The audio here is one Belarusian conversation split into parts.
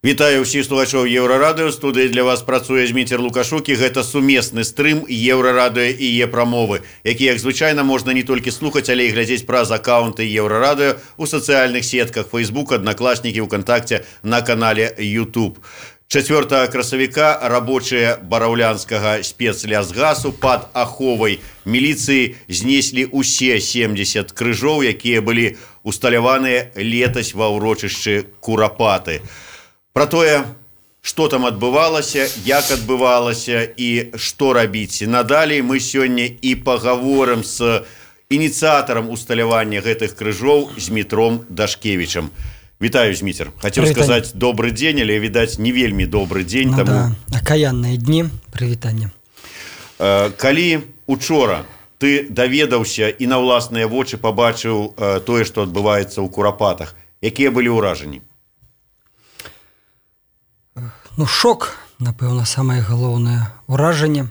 Вітаю ўсіх слухачоў Еўрарадыё. Студыі для вас працуе Зміцер Лукашук, і гэта сумесны стрым Еўрарадыё і Е-прамовы, які, як звычайна, можна не толькі слухаць, але і глядзець праз акаунты Еўрарадыё у сацыяльных сетках Facebook, Аднакласнікі, ВКонтакте, на канале YouTube. 4 красавіка рабочыя бараўлянскага спецлясгасу пад аховай міліцыі знеслі ўсе 70 крыжоў, якія былі усталяваныя летась ва ўрочышчы Курапаты. Про тое, што там адбывалася, як адбывалася і што рабіць надалей, мы сёння і пагаворым з ініцыятарам усталявання гэтых крыжоў Змітром Дашкевічам. Вітаю, Зміцер. Хацеў сказаць добры дзень, але, відаць, не вельмі добры дзень. Ну таму... да, акаянныя дні, прывітанне. Калі учора ты даведаўся і на ўласныя вочы пабачыў тое, што адбываецца ў Курапатах, якія былі ўражанні? Ну, шок, напэўна, самае галоўнае ўражанне.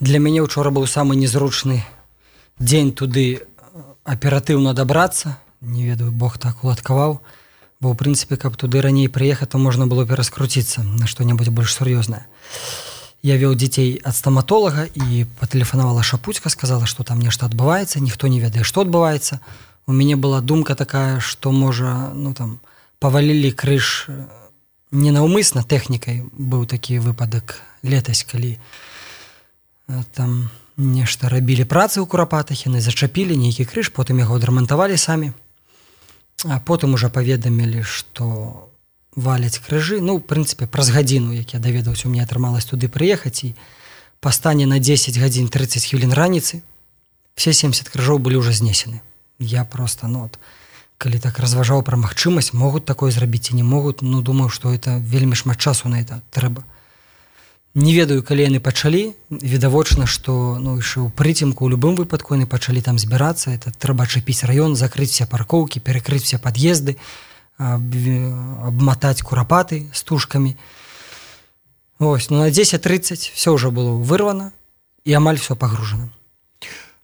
Для мяне учора быў самы незручны дзень туды аператыўна дабрацца. Не ведаю, Бог так уладкаваў. Бо, ў прынцыпе, каб туды раней прыехаць, то можна было пераскруціцца на што-небудзь больш сур'ёзнае. Я вёў дзяцей ад стаматолага і патэлефанавала Шапуцька, сказала, што там нешта адбываецца, ніхто не ведае, што адбываецца. У мяне была думка такая, што, можа, ну там, павалілі крыж... Ненаўмысна тэхнікай быў такі выпадак летась, калі там нешта рабілі працы ў Курапатах, яны зачапілі нейкі крыж, потым яго адрамантавалі самі, а потым ужо паведамілі, што валяць крыжы. Ну, в прынцыпе, праз гадзіну, як я даведаўся, у мяне атрымалась туды прыехаць, і па стане на 10 гадзін 30 хвілін раніцы все 70 крыжоў былі ўжо знесены. Я просто, ну, от, калі так разважаў пра магчымасць, могуць такое зрабіць ці не могуць, ну, думаю, што это вельмі шмат часу на это трэба. Не ведаю, калі яны пачалі, відавочна, што, ну, яшчэ ў прыцемку, у любым выпадку яны пачалі там збірацца, это трэба ачапіць раён, закрыць все паркоўкі, перакрыць все пад'езды, абматаць Курапаты стужкамі. Ось, ну, на 10:30 все ўжо было вырвана і амаль все пагружана.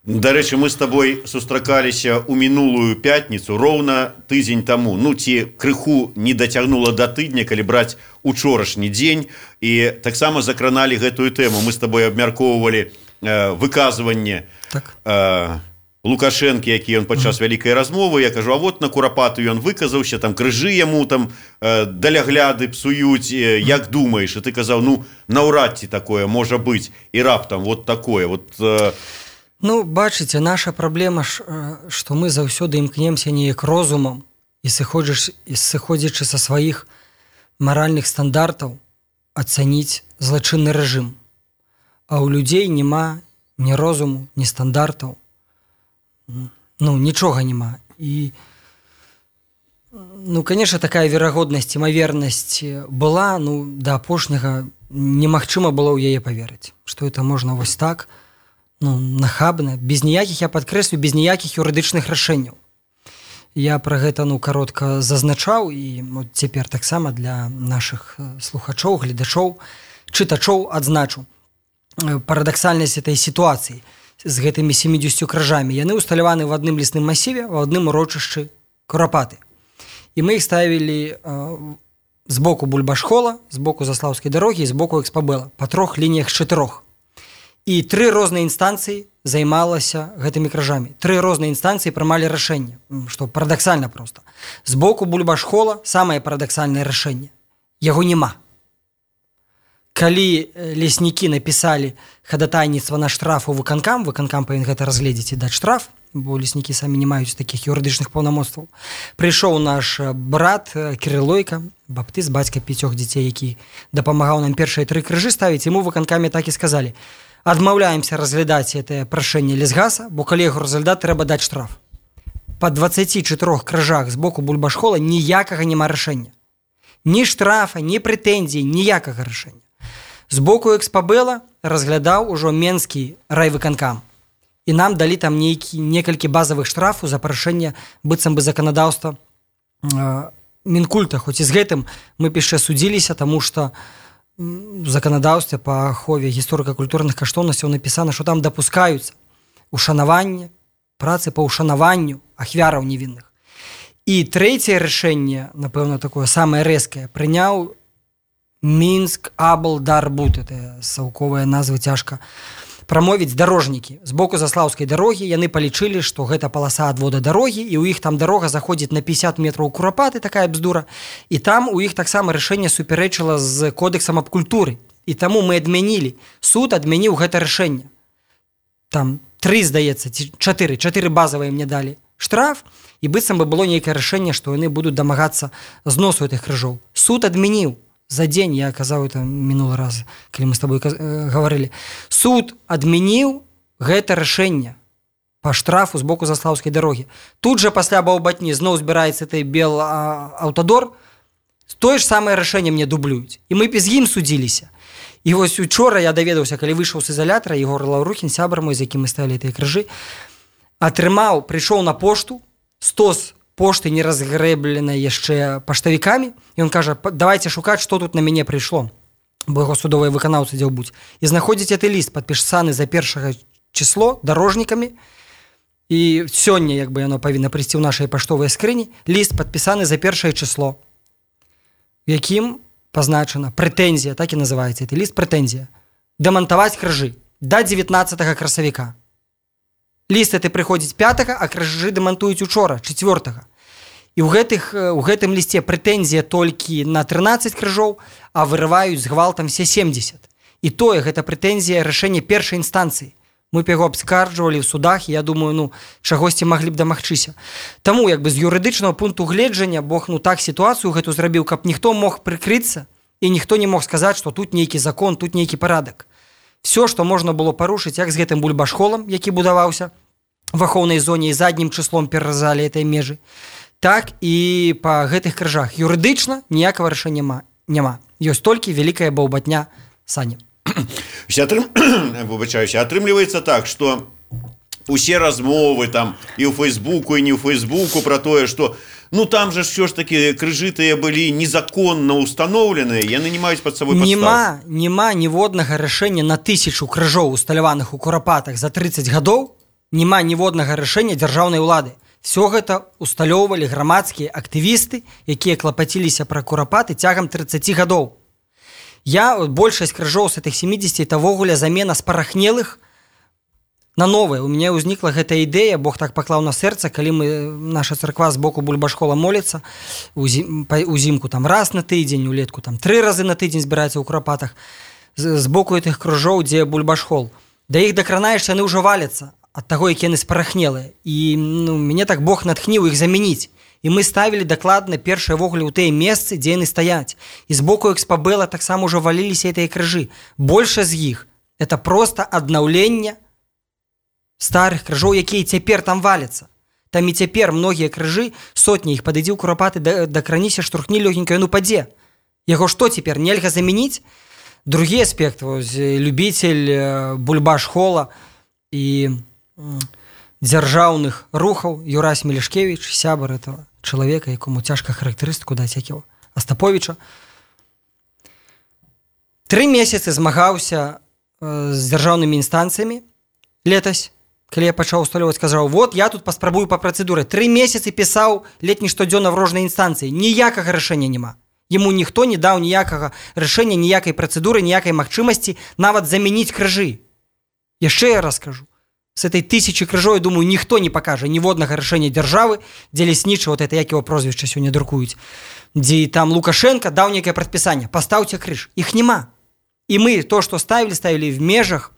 Дарэчы, мы з табой сустракаліся ў мінулую пятніцу, роўна тыдзень таму. Ну, ці крыху не дацягнула да тыдня, калі браць учорашні дзень, і таксама закраналі гэтую тэму. Мы з табой абмяркоўвалі выказванне Лукашэнкі, які ён падчас вялікай размовы. Я кажу, а вот на Курапаты ён выказаўся, там крыжы яму там далягляды псуюць, як думаеш? І ты казаў, ну, наўрад ці такое можа быць, і раптам вот такое. Вот... Ну, бачыце, наша праблема, што мы заўсёды імкнемся неяк розумам і сыходзячы са сваіх маральных стандартаў ацаніць злачынны рэжым. А ў людзей няма ні розуму, ні стандартаў. Ну, нічога няма. І, ну, конечно, такая верагоднасць, імавернасць была, ну, да апошняга немагчыма было ў яе паверыць, што это можна вось так, ну, нахабна, без ніякіх, я падкрэслю, без ніякіх юрыдычных рашэнняў. Я пра гэта, ну, каротка зазначаў, і вот цяпер таксама для нашых слухачоў, гледачоў, чытачоў адзначу парадаксальнасць этой сітуацыі з гэтымі 70 крыжамі. Яны усталяваны в адным лесным масіве, в адным урочышчы Курапаты. І мы іх ставілі з боку Бульбашхола, з боку Заслаўскай дарогі і з боку Экспабэла, па 3 лініях з 4. І 3 розныя інстанцыі займалася гэтымі крыжамі. 3 розныя інстанцыі прымалі рашэнне, што парадаксальна проста. З боку Бульбашхола самае парадаксальнае рашэнне. Яго няма. Калі леснікі напісалі хадатайніцтва на штраф у выканкам павінен гэта разгледзець і даць штраф, бо леснікі самі не маюць такіх юрыдычных паўнамоцтваў. Прыйшоў наш брат Кірылойка, баптыст, бацька 5 дзяцей, які дапамагаў нам першыя 3 крыжы ставіць, яму выканкамі так і сказалі: адмаўляемся разглядаць гэтае прашэнне лесгаса, бо калі яго разглядаць, трэба даць штраф. Па 24 крыжах з боку Бульбашхола ніякага няма рашэння. Ні штрафа, ні прэтэнзій, ніякага рашэння. З боку Экспабэла разглядаў ужо Менскі райвыканкам. І нам далі там некалькі базавых штрафаў за парушэнне быццам бы заканадаўства Мінкульта. Хоць і з гэтым мы яшчэ судзіліся, таму што в заканадаўстве па ахове гісторыка-культурных каштоўнасцяў напісана, што там дапускаюцца ушанаванне, працы па ушанаванню ахвяраў невінных. І трэцяе рашэнне, напэўна, такое самае рэзкае, прыняў Мінск Аблдарбуд, это саўковая назва, цяжка прамовіць, дарожнікі. З боку Заслаўскай дарогі яны палічылі, што гэта паласа адвода дарогі, і ў іх там дарога заходзіць на 50 метраў Курапаты, такая бздура, і там у іх таксама рашэнне супярэчыла з кодэксам аб культуры. І таму мы адмянілі. Суд адмяніў гэта рашэнне. Там 3, здаецца, 4 базавыя мне далі штраф, і быццам бы было нейкае рашэнне, што яны будуць дамагацца зносу гэтых крыжоў. Суд адмяніў за дзень, я казаў это мінулы раз, калі мы з табой гаварылі. Суд адмяніў гэта рашэнне па штрафу з боку Заслаўскай дарогі. Тут жа пасля баўбатні зноў збіраецца той бел аўтадор, тое ж самае рашэнне мне дублююць. І мы без ім судзіліся. І вось учора я даведаўся, калі выйшаў з ізалятара, Егор Лаўрухін, сябар мой, з якім мы ставілі тыя крыжы, прыйшоў на пошту, стос пошты не разгрэбленай яшчэ паштавікамі, і ён кажа, давайте шукаць, што тут на мяне прыйшло, бо яго судовыя выканаўцы дзе будуць. І знаходзіць гэты ліст, падпісаны за 1 число дарожнікамі, і сёння, як бы яно павінна прыйсці ў нашай паштовай скрыні, ліст падпісаны за 1 число, в якім пазначана прэтэнзія, так і называецца гэты ліст, прэтэнзія, дамантаваць крыжы да 19 красавіка. Ліст гэты прыходзіць 5, а крыжы дамантуюць учора, 4. І ў гэтым лісце прэтэнзія толькі на 13 крыжоў, а вырываюць з гвалтам все 70. І тое, гэта прэтэнзія рашэння першай інстанцыі. Мы б яго абскарджвалі ў судах, і я думаю, чагосьці маглі б дамагчыся. Таму, як бы з юрыдычнага пункту гледжання, Бог так сітуацыю гэту зрабіў, каб ніхто мог прыкрыцца, і ніхто не мог сказаць, што тут нейкі закон, тут нейкі парадак. Все, што можна было парушыць, як з гэтым бульбашхолам, які будаваўся в ахоўнай зоне і заднім чыслом пераразалі этой межы, так і па гэтых крыжах. Юрыдычна ніякага рашэння няма. Ёсць толькі вялікая баўбатня сані. Выбачаюся, атрымліваецца так, што усе размовы там і ў Фейсбуку, і не ў Фейсбуку пра тое, што там же ўсё ж такі крыжы тыя былі незаконна ўстаноўленыя, яны не маюць пад сабой падстав. Няма ніводнага рашэння на 1000 крыжоў, усталяваных у Курапатах за 30 гадоў, няма ніводнага рашэння дзяржаўнай улады. Всё гэта усталёўвалі грамадскія актывісты, якія клапаціліся пра Курапаты цягам 30 гадоў. Большасць крыжоў з этих 70 это ввогуле замена спарахнелых на новыя. У мяне ўзнікла гэта ідэя, Бог так паклаў на сэрца, калі наша царква з боку бульбашхола моліцца, узімку там раз на тыдзень, улетку там 3 разы на тыдзень збіраецца ў Курапатах, з боку гэтых крыжоў, дзе бульбашхол. Да іх дакранаешся, яны ўжо валяцца ад таго, які яны спарахнелыя. І мяне так Бог натхніў іх замяніць. І мы ставілі дакладна першыя ввогуле ў тыя месцы, дзе яны стаяць. І з боку Экспабэла таксама ўжо валіліся гэтыя крыжы. Большасць з іх это проста аднаўленне старых крыжоў, якія цяпер там валяцца. Там і цяпер многія крыжы, сотні іх падыдзі ў Курапаты, дакраніся, штурхні лёгенька, ён упадзе. Яго што цяпер, нельга замяніць? Другі аспект, любіцель бульбашхола і дзяржаўных рухаў Юрась Мелешкевіч, сябар этого чалавека, якому цяжка характарыстыку даць, як яго Астаповіча. 3 месяцы змагаўся з дзяржаўнымі інстанцыямі летась, калі я пачаў усталёваць, сказаў, я тут паспрабую па працэдуры. 3 месяцы пісаў ледь не штодзённа в розныя інстанцыі. Ніякага рашэння няма. Яму ніхто не даў ніякага рашэння, ніякай працэдуры, ніякай магчымасці нават замяніць крыжы. Яшчэ я раз кажу, з этой 1000 крыжоў, я думаю, ніхто не пакажа ніводнага рашэння дзяржавы, дзе ляснічы, это як яго прозвішча сёння друкуюць, дзе там Лукашенко даў нейкае прадпісанне, пастаўце крыж. Іх няма. І мы то, што ставілі в межах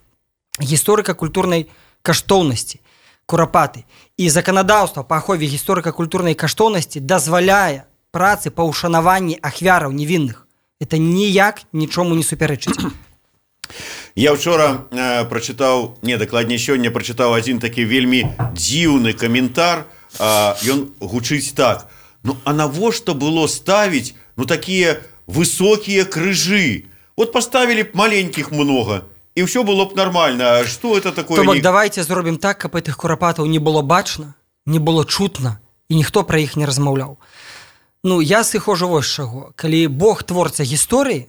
гісторыка-культурнай каштоўнасці Курапаты. І заканадаўства па ахове гісторыка-культурнай каштоўнасці дазваляе працы па ўшанаванні ахвяраў невінных. Это ніяк нічому не супярэчыць. Я вчора прачытаў, дакладней сёння прачытаў адзін такі вельмі дзіўны каментар. Ён гучыць так: а навошта было ставіць такія высокія крыжы? Паставілі б маленькіх много, і ўсё было б нормально. Што это такое? То бок давайте зробім так, каб гэтых Курапатаў не было бачна, не было чутна, і ніхто пра іх не размаўляў. Я сыходжу вось чаго. Калі Бог творца гісторыі,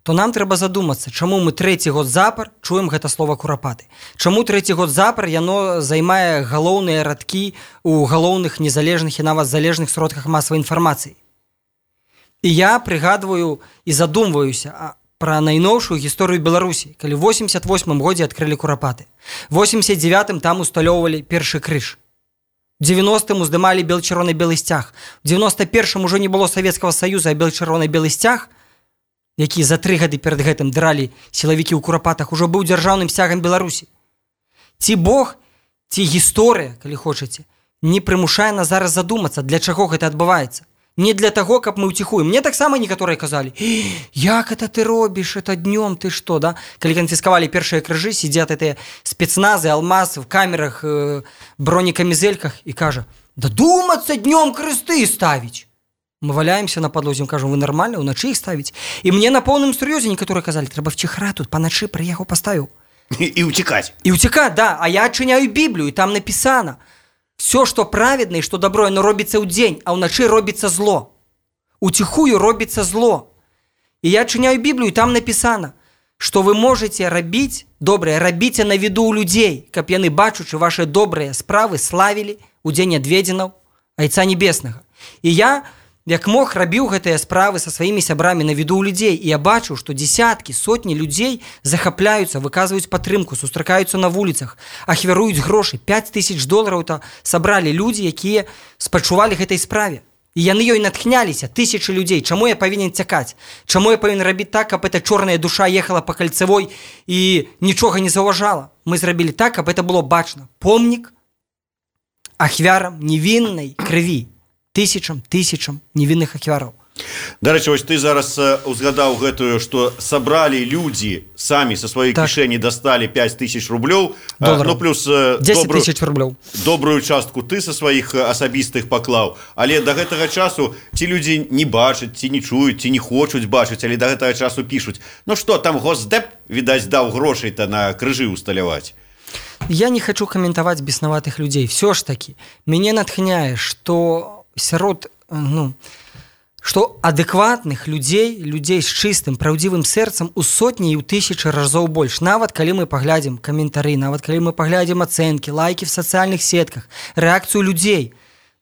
то нам трэба задумацца, чаму мы 3-й год запар чуем гэта слова курапаты. Чаму 3-й год запар яно займае галоўныя радкі ў галоўных незалежных і нават залежных сродках масавай інфармацыі. І я прыгадваю і задумваюся пра найноўшую гісторыю Беларусі, калі ў 88 годзе адкрылі курапаты. В 89-м там усталёўвалі першы крыж. У 90-м уздымалі бел-чырвона-белы сцяг. У 91-м ужо не было Савецкага Саюза, а бел-чырвона-белы сцяг, які за 3 гады перад гэтым дралі сілавікі ў курапатах, ужо быў дзяржаўным сцягам Беларусі. Ці Бог, ці гісторыя, калі хочаце, не прымушае нас зараз задумацца, для чаго гэта адбываецца. Не для таго, каб мы ўціхуем. Мне таксама некаторыя казалі: як это ты робіш, это днём, ты што, да? Калі канфіскавалі першыя крыжы, сидят гэтыя спецназы, алмаз в камерах, бронекамізельках і кажа: да думацца днём кресты ставіць. Мы валяемся на падлозе, кажам: вы нармальна, уначы іх ставіць? І мне на поўным сур'ёзе некаторыя казалі: трэба вціхра тут, паначы прыехаў, паставіў. І ўцікаць. І ўцікаць, да. А я адчыняю Біблію, і там напісана: все, што праведна і што добро, оно робіцца ў дзень, а ўначы робіцца зло. Уціхую робіцца зло. І я адчыняю Біблію, і там напісана, што вы можаце рабіць добрае, рабіце на віду ў людзей, каб яны, бачучы ваши добрыя справы, славілі ў дзень адведзенаў Айца Небеснага. І я, як мог, рабіў гэтыя справы са сваімі сябрамі на віду ў людзей, і я бачыў, што дзесяткі, сотні людзей захапляюцца, выказваюць падтрымку, сустракаюцца на вуліцах, ахвяруюць грошы. $5000 то сабралі людзі, якія спачувалі гэтай справе. І яны ёй натхняліся, тысячы людзей. Чаму я павінен цякаць? Чаму я павінен рабіць так, каб эта чорная душа ехала па кальцавой і нічога не заўважала? Мы зрабілі так, каб это было бачна. Помнік ахвярам невіннай крыві. Тысячам невінных ахвяраў. Дарэчы, вось ты зараз узгадаў гэтую, што сабралі людзі самі са сваёй кішэні, дасталі 5000 рублёў, ну плюс 10 000 рублёў. Добрую частку ты са сваіх асабістых паклаў. Але да гэтага часу ці людзі не бачаць, ці не чуюць, ці не хочуць бачыць, але да гэтага часу пішуць: ну што, там Госдэп, відаць, даў грошай-то на крыжы усталяваць. Я не хочу каментаваць беснаватых людзей. Все ж таки, мяне натхняе, што сярод, што адэкватных людзей з чыстым, праўдзівым сэрцам у сотні і ў 1000 разоў больш. Нават калі мы паглядзім каментары, нават калі мы паглядзім ацэнкі, лайкі в сацыяльных сетках, рэакцыю людзей.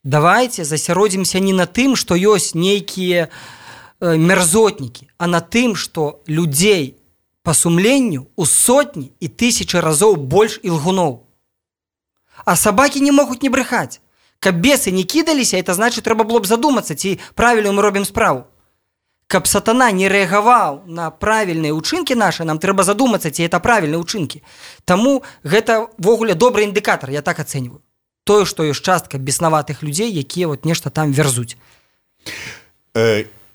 Давайте засяродзімся не на тым, што ёсць нейкія мерзотнікі, а на тым, што людзей па сумленню у сотні і 1000 разоў больш ілгуноў. А сабакі не могуць не брехаць. Каб бесы не кідаліся, это значит, трэба было б задумацца, ці правільную мы робім справу. Каб сатана не рэагаваў на правільныя ўчынкі нашы, нам трэба задумацца, ці это правільныя ўчынкі. Таму гэта ввогуле добры індыкатар, я так ацэньваю. Тое, што ёсць частка беснаватых людзей, якія вот нешта там верзуць.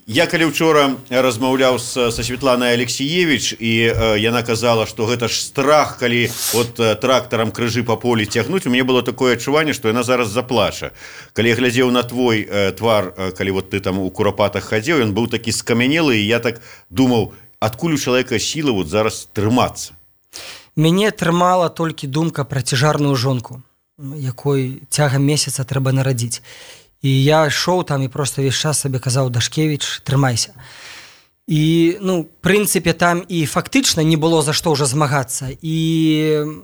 Я калі учора размаўляў са Светланай Алексіевіч, і яна казала, што гэта ж страх, калі от трактарам крыжы па полі цягнуць, у мяне было такое адчуванне, што яна зараз заплача. Калі я глядзеў на твой твар, калі вот ты там у курапатах хадзеў, ён быў такі скамянелы, і я так думаў, адкуль у чалавека сілы вот зараз трымацца? Мяне трымала толькі думка пра цяжарную жонку, якой цягам месяца трэба нарадзіць. І я ішоў там і просто весь час сабе казаў: Дашкевіч, трымайся. І, прынцыпе, там і фактычна не было за што ўжо змагацца. І,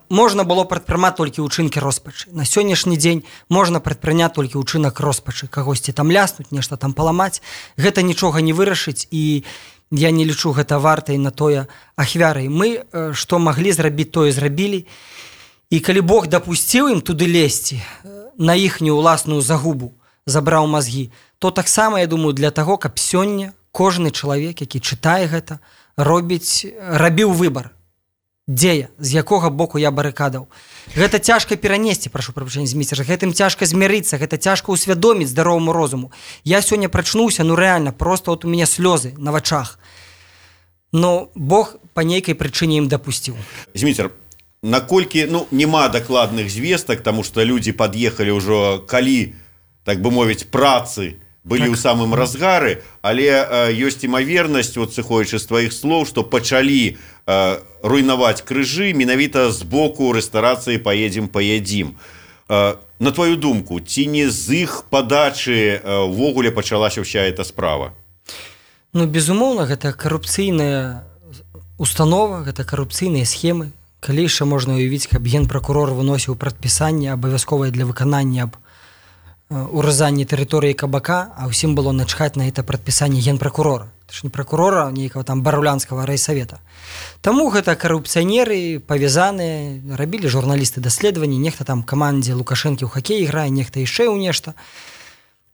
можна было прадпрымаць толькі ўчынкі роспачы. На сённяшні дзень можна прадпрыняць толькі ўчынак роспачы. Кагосьці там ляснуць, нешта там паламаць. Гэта нічога не вырашыць, і я не лічу гэта вартай на тое ахвярай. Мы, што маглі зрабіць, тое зрабілі. І калі Бог дапусціў ім туды лезці, на іхнюю ўласную загубу, забраў мазгі, то таксама, я думаю, для таго, каб сёння кожны чалавек, які чытае гэта, рабіў выбар. Дзе я, з якога боку я барыкадаў. Гэта цяжка перанесці, прашу прабачэння, зміцер, гэтым цяжка змірыцца, гэта цяжка ўсвядоміць здароваму розуму. Я сёння прачнуўся, рэальна, просто вот у мяне слёзы на вачах. Но Бог па нейкай прычыне ім дапусціў. Зміцер, наколькі, няма дакладных звестак, таму што людзі пад'ехалі ўжо, калі, так бы мовіць, працы былі ў самым разгары, але ёсць імавернасць, вот сыходзячы з тваіх слоў, што пачалі руйнаваць крыжы менавіта з боку рэстарацыі «Паедзім». На твою думку, ці не з іх падачы ўвогуле пачалася ўся эта справа? Ну, безумоўна, гэта карупцыйная установа, гэта карупцыйныя схемы. Калі яшчэ можна уявіць, каб генпракурор выносіў прадпісанне абавязковае для выканання аб уразанні тэрыторыі кабака, а ўсім было начхаць на гэта прадпісанне генпракурора. Это ж не пракурора, нейкага там барулянскага райсавета. Таму гэта карупцыянеры павязаныя, рабілі журналісты даследаванні, нехта там камандзе Лукашэнкі ў хакей грае, нехта яшчэ ў нешта.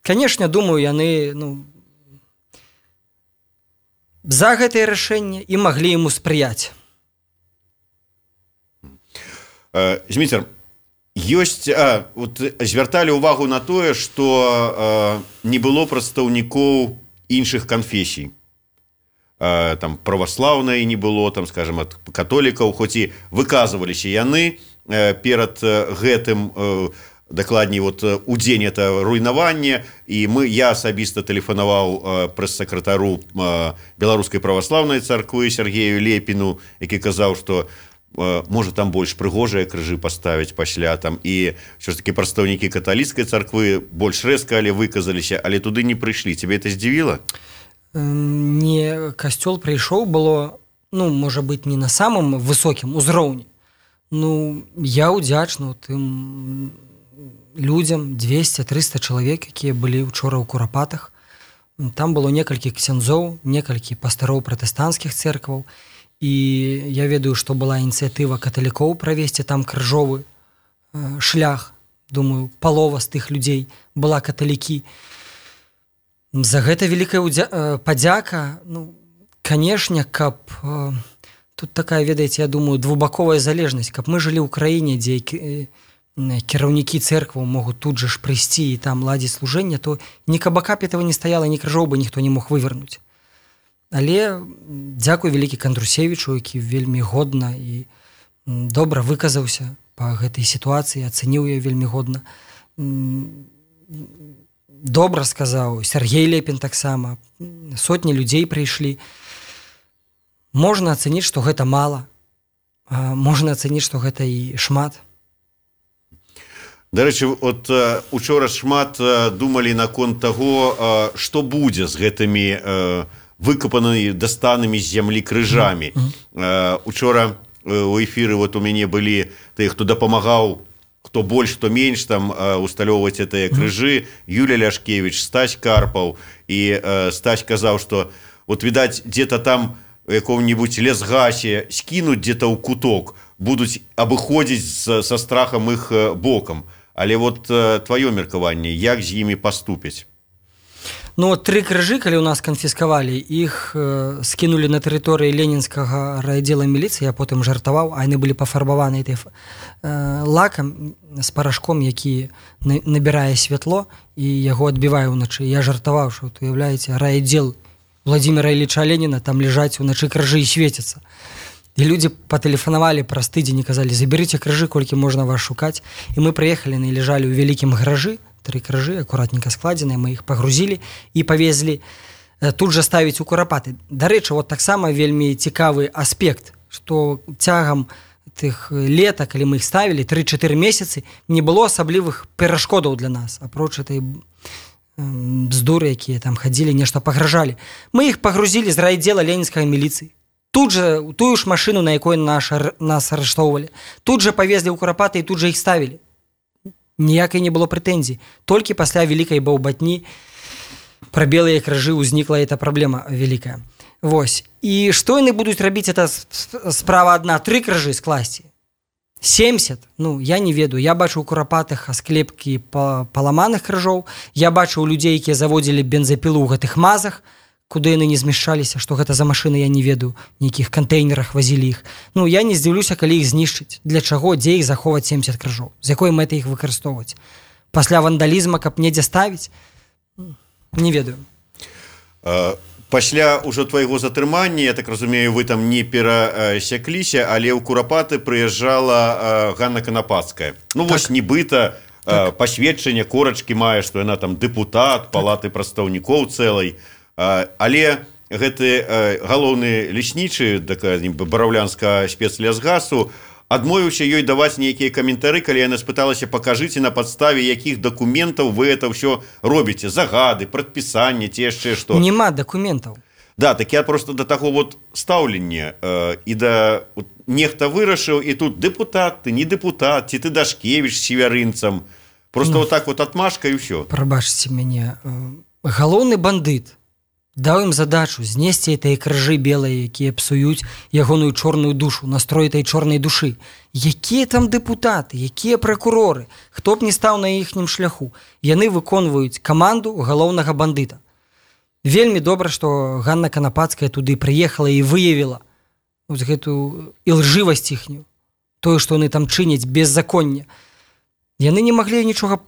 Канешне, думаю, яны за гэтае рашэнне і маглі яму спрыяць. Зміцер, звярталі ўвагу на тое, што не было прадстаўнікоў іншых канфесій. Там праваслаўнай не было, там, скажем, ад католікаў, хоць і выказваліся яны перад гэтым, дакладней, у дзень это руйнаванне, і я асабіста тэлефанаваў прэс-сакратару Беларускай праваслаўнай царквы Сергею Лепіну, які казаў, што можа там больш прыгожыя крыжы паставіць пасля там, і ўсё ж такі прадстаўнікі каталіцкай царквы больш рэзка выказаліся, але туды не прыйшлі. Цябе это здзівіла? Не, касцёл прыйшоў, было, можа быць, не на самым высокім узроўні. Я ўдзячны тым людзям, 200-300 чалавек, якія былі учора ў Курапатах. Там было некалькі ксяндзоў, некалькі пастароў пратэстанцкіх цэркваў, і я ведаю, што была ініцыятыва каталікоў правесці там крыжовы шлях. Думаю, палова з тых людзей была каталікі. За гэта вялікая падзяка. Канешне, каб тут такая, ведаеце, я думаю, двухбаковая залежнасць, каб мы жылі ў краіне, дзе кіраўнікі цэркваў могуць тут жа ж прыйсці і там ладзіць служэнне, то ні кабака б этого не стаяла, ні крыжоў бы ніхто не мог вывернуць. Але дзякуй вялікі Кандрусевічу, які вельмі годна і добра выказаўся па гэтай сітуацыі, ацэніў яе вельмі годна. Добра сказаў Сергей Лепін таксама. Сотні людзей прыйшлі. Можна ацэніць, што гэта мала, а можна ацэніць, што гэта і шмат. Дарэчы, учора шмат думалі наконт таго, што будзе з гэтымі выкапанымі, дастанымі з зямлі крыжамі. Учора у эфіры у мяне былі тыя, хто дапамагаў, хто больш, хто менш там усталёўваць гэтыя крыжы, Юля Ляшкевіч, Стась Карпаў, і Стась казаў, што відаць, дзе-то там у якому-нибудь лесгасе скінуць дзе-то ў куток, будуць абыходзіць са страхам іх бокам. Але тваё меркаванне, як з імі паступяць? 3 крыжы, калі ў нас канфіскавалі, іх скінулі на тэрыторыі ленінскага райаддзела міліцыі, я потым жартаваў, а яны былі пафарбаваны лакам з парашком, які набірае святло і яго адбівае ўначы. Я жартаваў, што, уяўляеце, райаддзел Владимира Ильича Ленина, там лежаць уначы крыжы і свецяцца. І людзі патэлефанавалі праз тыдзень і казалі: заберыце крыжы, колькі можна вас шукаць. І мы прыехалі, яны ляжалі ў вялікім гаражы, 3 крыжы, акуратненька складзеныя, мы іх пагрузілі і павезлі тут жа ставіць у Курапаты. Дарэчы, таксама вельмі цікавы аспект, што цягам тых лета, калі мы іх ставілі, 3-4 месяцы, не было асаблівых перашкодаў для нас, апроч этой бздуры, якія там хадзілі, нешта пагражалі. Мы іх пагрузілі з райаддзела ленінскай міліцыі. Тут жа у тую ж машыну, на якой нас арыштоўвалі. Тут жа павезлі ў Курапаты і тут жа іх ставілі. Ніякай не было прэтэнзій. Толькі пасля вялікай баўбатні пра белыя крыжы ўзнікла эта праблема вялікая. І што яны будуць рабіць? Это справа адна. 3 крыжы скласці. 70, я не ведаю. Я бачу ў Курапатах асклепкі паламаных крыжоў. Я бачу ў людзей, якія заводзілі бензапілу ў гэтых мазах, куды яны не змяшчаліся, што гэта за машыны, я не ведаю, нейкіх кантэйнерах вазілі іх. Я не здзіўлюся, калі іх знішчыць. Для чаго, дзе іх заховаць 70 крыжоў? З якой мэтай іх выкарыстоўваць? Пасля вандалізма, каб недзе ставіць? Не ведаю. Пасля ўжо твайго затрымання, я так разумею, вы там не перасякліся, але ў Курапаты прыязджала Ганна Канапацкая. Нібыта пасведчанне корачкі мае, што яна там дэпутат палаты прадстаўнікоў цэлай. Але гэты галоўны леснічы бараўлянскага спецлясгасу адмовіўся ёй даваць нейкія каментары, калі яна спыталася: пакажыце, на падставе якіх дакументаў вы это ўсё робіце, загады, прадпісанне ці яшчэ што. Нема дакументаў. Да, так я просто до таго вот стаўлення і да нехта вырашыў, і тут дэпутат, ты не дэпутат, ці ты Дашкевіч з севярынцам. Просто вот так вот отмашка і ўсё. Прабачце мяне. Галоўны бандыт даў ім задачу знесці гэтыя крыжы белыя, якія псуюць ягоную чорную душу, настрой этой чорнай душы. Якія там дэпутаты, якія пракуроры, хто б не стаў на іхнім шляху. Яны выконваюць каманду галоўнага бандыта. Вельмі добра, што Ганна Канапацкая туды прыехала і выявіла гэтую ілжывасць іхнюю, тое, што яны там чыняць беззаконне. Яны не маглі нічога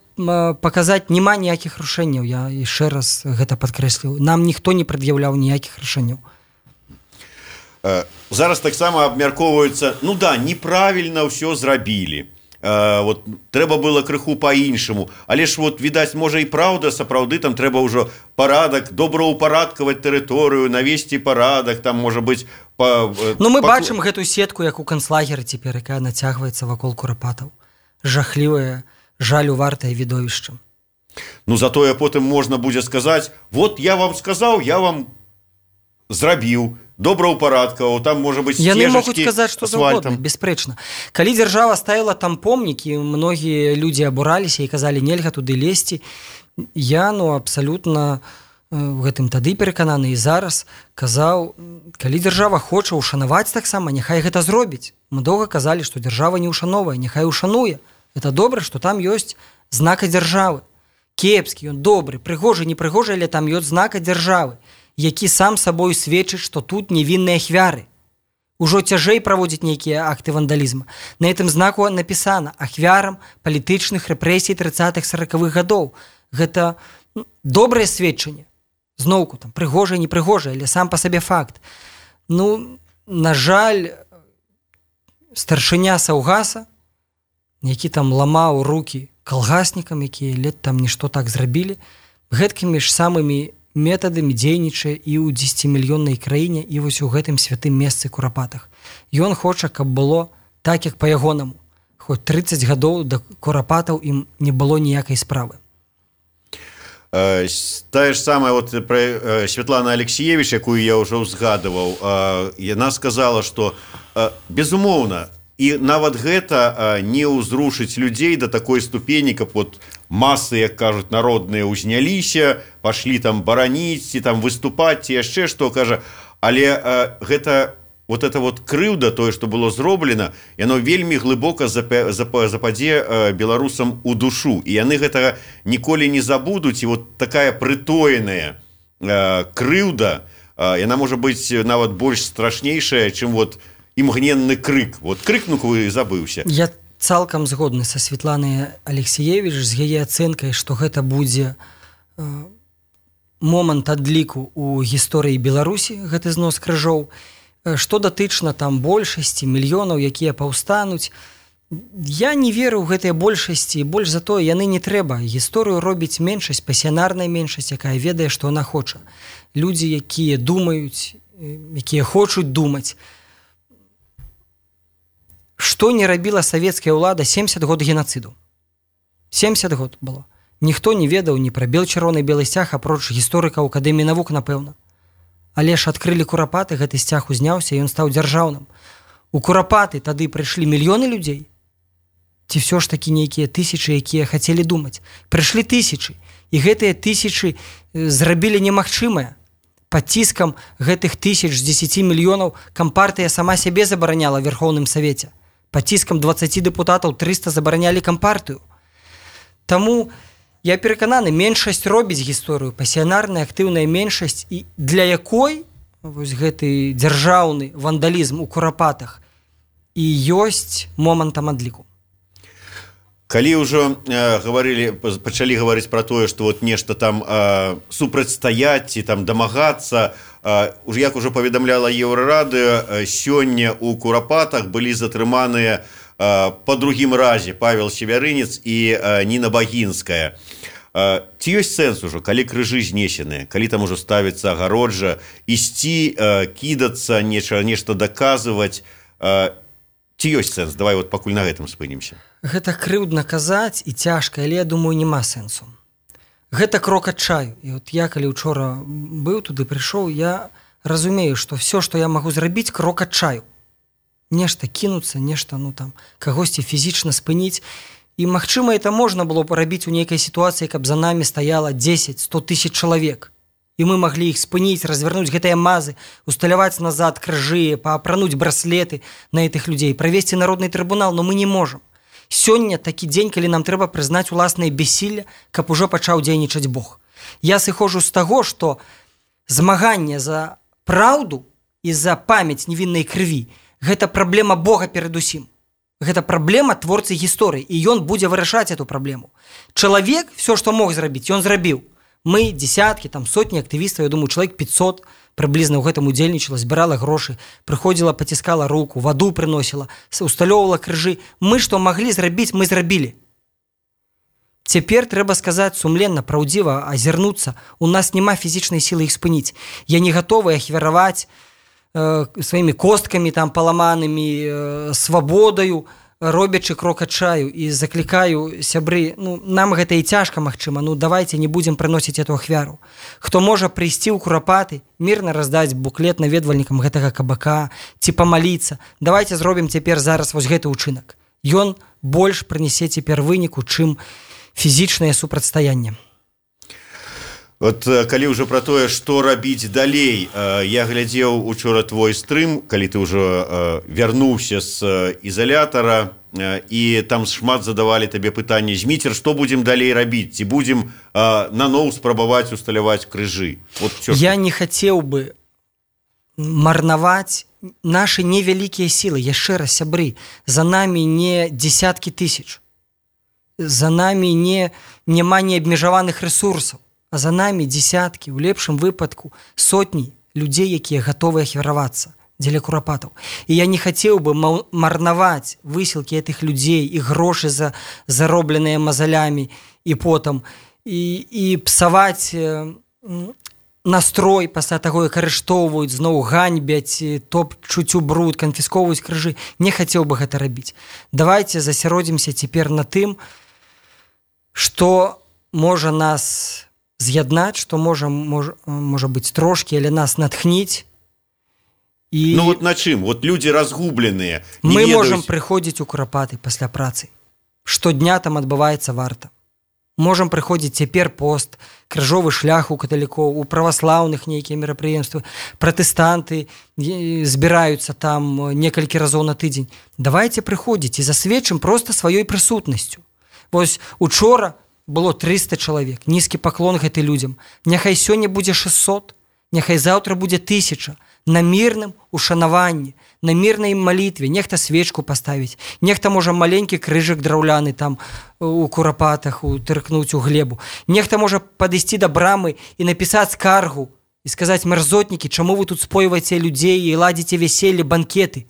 паказаць, няма ніякіх рашэнняў. Я яшчэ раз гэта падкрэсліў. Нам ніхто не прад'яўляў ніякіх рашэнняў. Зараз таксама абмяркоўваюцца, неправільна ўсё зрабілі. Вот трэба было крыху па-іншаму, але ж вот відаць, можа і праўда, сапраўды там трэба ўжо парадак, добраўпарадкаваць тэрыторыю, навесці парадак, там можа быць мы бачым гэту сетку, як у канцлагеры цяпер, якая нацягваецца вакол курапатаў. Жахлівае, жалю вартае відовішча. Затое потым можна будзе сказаць: вот я вам сказаў, я вам зрабіў, добраўпарадкаваў, там можа быць сцежачкі. Яны могуць сказаць, што заўгодна, беспрэчна. Калі дзяржава ставіла там помнікі, многія людзі абураліся і казалі, нельга туды лезці. Я, абсалютна у гэтым тады перакананы і зараз казаў, калі дзяржава хоча ушанаваць таксама, няхай гэта зробіць. Мы доўга казалі, што дзяржава не ушановае, няхай ушануе. Это добра, што там ёсць знака дзяржавы. Кепскі, ён добры, прыгожы, непрыгожы, але там ёсць знака дзяржавы, які сам сабою сведчыць, што тут невінныя ахвяры. Ужо цяжэй праводзіць нейкія акты вандалізму. На гэтым знаку напісана ахвярам палітычных рэпрэсій 30-40-х гадоў. Гэта добрае сведчанне. Зноўку, там, прыгожае, непрыгожае, але сам па сабе факт. На жаль, старшыня Саўгаса, які там ламаў рукі калгаснікам, якія лет там нішто так зрабілі, гэткімі ж самымі метадамі дзейнічае і ў 10-мільённай краіне, і вось у гэтым святым месцы Курапатах. Ён хоча, каб было так, як па-ягонаму. Хоць 30 гадоў да Курапатаў ім не было ніякай справы. Тая ж самая Святлана Алексіевіч, якую я ўжо ўзгадываў, яна сказала, што безумоўна, і нават гэта не ўзрушыць людзей да такой ступені, каб масы, як кажуць, народныя ўзняліся, пашлі там бараніць, ці там выступаць, ці яшчэ што, кажа. Але гэта крыўда, тое, што было зроблена, яно вельмі глыбока западзе беларусам у душу. І яны гэтага ніколі не забудуць. І такая прытоеная крыўда, яна можа быць нават больш страшнейшая, чым імгненны крык. Крыкнуў і забыўся. Я цалкам згодны са Святланай Алексіевіч з яе ацэнкай, што гэта будзе момант адліку ў гісторыі Беларусі, гэты знос крыжоў. Што датычна там большасці, мільёнаў, якія паўстануць, я не веру ў гэтыя большасці, больш за тое, яны не трэба. Гісторыю робіць меншасць, пасіянарная меншасць, якая ведае, што яна хоча. Людзі, якія думаюць, якія хочуць думаць. Што не рабіла савецкая ўлада 70 год генацыду? 70 год было. Ніхто не ведаў ні пра бел-чырвоны белы сцяг, апроч гісторыкаў Акадэміі навук, напэўна. Але ж адкрылі Курапаты, гэты сцяг узняўся, і ён стаў дзяржаўным. У Курапаты тады прыйшлі мільёны людзей? Ці ўсё ж такі нейкія тысячы, якія хацелі думаць? Прыйшлі тысячы, і гэтыя тысячы зрабілі немагчымае. Пад ціскам гэтых тысяч з 10 мільёнаў кампартыя сама сябе забараняла ў Верхоўным Савеце. Пад ціскам 20 дэпутатаў 300 забаранялі кампартыю. Таму я перакананы, меншасць робіць гісторыю, пасіянарная актыўная меншасць, і для якой гэты дзяржаўны вандалізм у Курапатах і ёсць момантам адліку. Калі ўжо пачалі гаварыць пра тое, што нешта там супрацьстаяць ці там дамагацца, як ужо паведамляла Еўрарадыё, сёння ў Курапатах былі затрыманыя па другім разе Павел Севярынец і Ніна Багінская. Ці ёсць сэнс ужо, калі крыжы знесеныя, калі там ужо ставіцца агароджа, ісці, кідацца, нешта даказваць? Ці ёсць сэнс? Давай пакуль на гэтым спынімся. Гэта крыўдна казаць і цяжка, але я думаю, няма сэнсу. Гэта крок адчаю. І я, калі учора быў туды, прыйшоў, я разумею, што все, што я магу зрабіць, крок адчаю. Нешта кінуцца, нешта, кагосьці фізічна спыніць. І, магчыма, это можна было парабіць у нейкай сітуацыі, каб за намі стаяла 10-100 тысяч чалавек. І мы маглі іх спыніць, развернуць гэтыя мазы, усталяваць назад крыжы, паапрануць браслеты на гэтых людзей, правесці народны трыбунал, но мы не можам. Сёння такі дзень, калі нам трэба прызнаць уласнае бессілле, каб ужо пачаў дзейнічаць Бог. Я сыходжу з таго, што змаганне за праўду і за памяць невіннай крыві – гэта праблема Бога перадусім. Гэта праблема творцы гісторыі, і ён будзе вырашаць эту праблему. Чалавек, все, што мог зрабіць, ён зрабіў. Мы, десяткі, сотні актывістаў, я думаю, чалавек 500 прыблізна ў гэтым удзельнічала, збірала грошы, прыходзіла, паціскала руку, ваду прыносіла, усталёўвала крыжы. Мы, што маглі зрабіць, мы зрабілі. Цяпер трэба сказаць сумленна, праўдзіва, азірнуцца. У нас няма фізічнай сілы іх спыніць. Я не гатовы ахвяраваць сваімі косткамі паламанымі, свабодаю, робячы крок адчаю, і заклікаю сябры, нам гэта і цяжка, магчыма, давайте не будзем прыносіць эту ахвяру. Хто можа прыйсці ў Курапаты, мірна раздаць буклет наведвальнікам гэтага кабака, ці памаліцца, давайте зробім цяпер зараз вось гэты ўчынак. Ён больш прынясе цяпер выніку, чым фізічнае супрацьстаянне. Вот калі ўжо пра тое, што рабіць далей, я глядзеў учора твой стрым, калі ты ўжо вярнуўся з ізалятара, і там шмат задавалі табе пытанне: Зміцер, што будзем далей рабіць? Ці будзем наноў спрабаваць усталяваць крыжы? Вот я не хацеў бы марнаваць нашы невялікія сілы. Яшчэ раз, сябры, за намі не дзесяткі тысяч, за намі няма неабмежаваных рэсурсаў, а за намі дзесяткі, у лепшым выпадку сотні людзей, якія гатовыя ахвяравацца дзеля Курапатаў. І я не хацеў бы марнаваць высілкі гэтых людзей і грошы заробленыя мазалямі і потам, і псаваць настрой пасля таго, як арыштоўваюць, зноў ганьбяць, топчуць у бруд, канфіскоўваюць крыжы. Не хацеў бы гэта рабіць. Давайце засяродзімся цяпер на тым, што можа нас з'яднаць, што можа быць трошкі, але нас натхніць. І вот на чым? Вот людзі разгубленыя. Мы можам прыходзіць у Курапаты пасля працы. Штодня там адбываецца варта. Можам прыходзіць цяпер пост, крыжовы шлях у каталікоў, у праваслаўных нейкія мерапрыемствы. Пратэстанты збіраюцца там некалькі разоў на тыдзень. Давайце прыходзіць і засведчым проста сваёй прысутнасцю. Вось учора было 300 чалавек. Нізкі паклон гэты людзям. Няхай сёння будзе 600, няхай заўтра будзе 1000. На мірным ушанаванні, на мірнай малітве. Нехта свечку паставіць, нехта можа маленькі крыжык драўляны там у Курапатах утыркнуць у глебу. Нехта можа падысці да брамы і напісаць скаргу і сказаць: мярзотнікі, чаму вы тут спойваеце людзей і ладзіце вяселле, банкеты?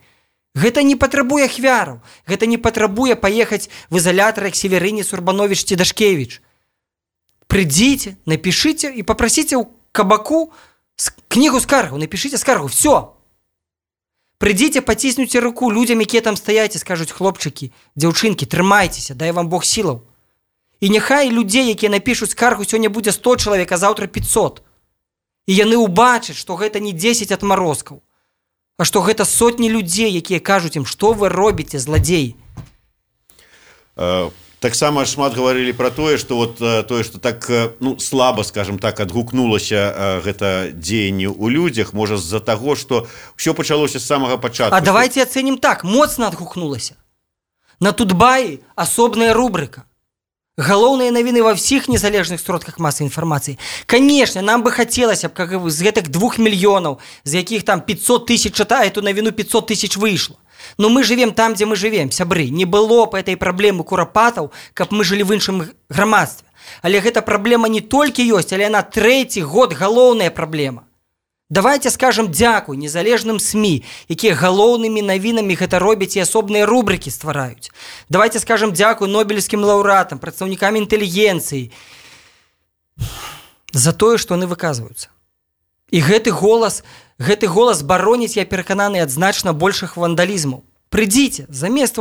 Гэта не патрабуе ахвяраў, гэта не патрабуе паехаць в ізалятар, як Северынец, Урбанович ці Дашкевіч. Прыйдзіце, напішыце і папрасіце ў кабаку кнігу скаргу, напішыце скаргу, все. Прыйдзіце, паціснуце руку людзям, якія там стаяць, і скажуць: хлопчыкі, дзяўчынкі, трымайцеся, дай вам Бог сілаў. І няхай людзей, якія напішуць скаргу, сёння будзе 100 чалавек, а заўтра 500. І яны ўбачаць, што гэта не 10 адмарозкаў, а што гэта сотні людзей, якія кажуць ім: што вы робіце, зладзеі. Таксама шмат гаварылі пра тое, што так слаба, скажем так, адгукнулася гэта дзеянне ў людзях, можа з-за таго, што ўсё пачалося з самага пачатку. А давайте ацэнім так, моцна адгукнулася. На Тутбаі асобная рубрыка. Галоўныя навіны ва ўсіх незалежных сродках масавай інфармацыі. Канешне, нам бы хацелася б, как з гэтых 2 мільёнаў, з якіх там 500 тысяч чытае, эту навіну 500 тысяч выйшла. Но мы живем там, дзе мы живем, сябры. Не было б этой праблемы Курапатаў, каб мы жылі в іншым грамадстве. Але гэта праблема не толькі ёсць, але яна 3-й год галоўная праблема. Давайте скажем дзякуй незалежным СМІ, якія галоўнымі навінамі гэта робяць і асобныя рубрыкі ствараюць. Давайте скажем дзякуй нобелевскім лаўрэатам, прадстаўнікам інтэлігенцыі за тое, што яны выказваюцца. І гэты голас бароніць, я перакананы, ад значна большых вандалізмаў. Прыйдзіце, замест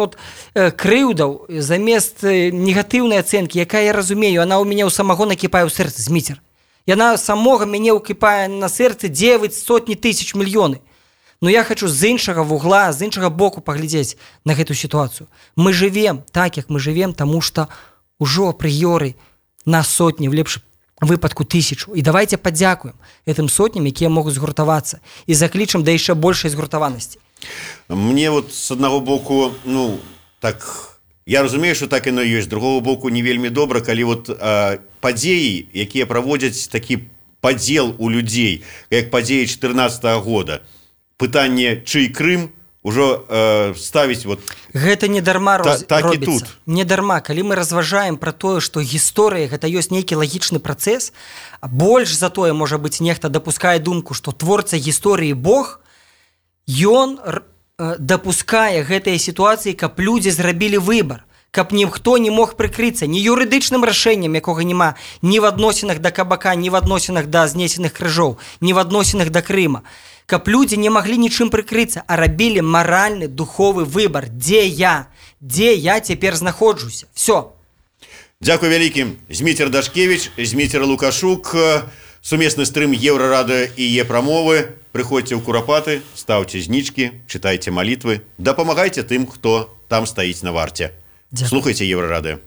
крыўдаў, замест негатыўнай ацэнкі, якая, я разумею, она ў мяне ў самого накіпае ў сэрцы, Зміцер. Яна самога мяне ўкіпае на сэрцы 9 сотні тысяч мільёны. Но я хочу з іншага вугла, з іншага боку паглядзець на гэту сітуацыю. Мы жывем так, як мы жывем, таму што ўжо апрыёры на сотні, в лепшым выпадку тысячу. І давайте падзякуем гэтым сотням, якія могуць згуртавацца, і заклічам да яшчэ большай згуртаванасці. Мне вот с аднаго боку, так, я разумею, что так яно ёсць, з другого боку не вельмі добра, калі вот падзеі, якія праводзяць такі падзел у людзей, як падзеі 14-го года, пытанне чый Крым ўжо ставіць вот гэта не дарма так робіцца. Не дарма, калі мы разважаем пра тое, што гісторыя гэта ёсць нейкі лагічны працэс, а больш за тое, можа быць, нехта дапускае думку, што творца гісторыі Бог, ён дапускае гэтыя сітуацыі, каб людзі зрабілі выбар, каб ніхто не мог прыкрыцца ні юрыдычным рашэннем, якога няма ні в адносінах да Кабака, ні в адносінах да знесеных крыжоў, ні в адносінах да Крыма. Каб людзі не маглі нічым прыкрыцца, а рабілі маральны, духовы выбар. Дзе я цяпер знаходжуся? Всё. Дзякуй вялікі. Зміцер Дашкевіч, Зміцер Лукашук, сумесны стрым Еўрарадыё і Е-прамовы. Прыходзьце ў Курапаты, стаўце знічкі, чытайце малітвы, дапамагайце тым, хто там стаіць на варце. Слухайце Еўрарадыё.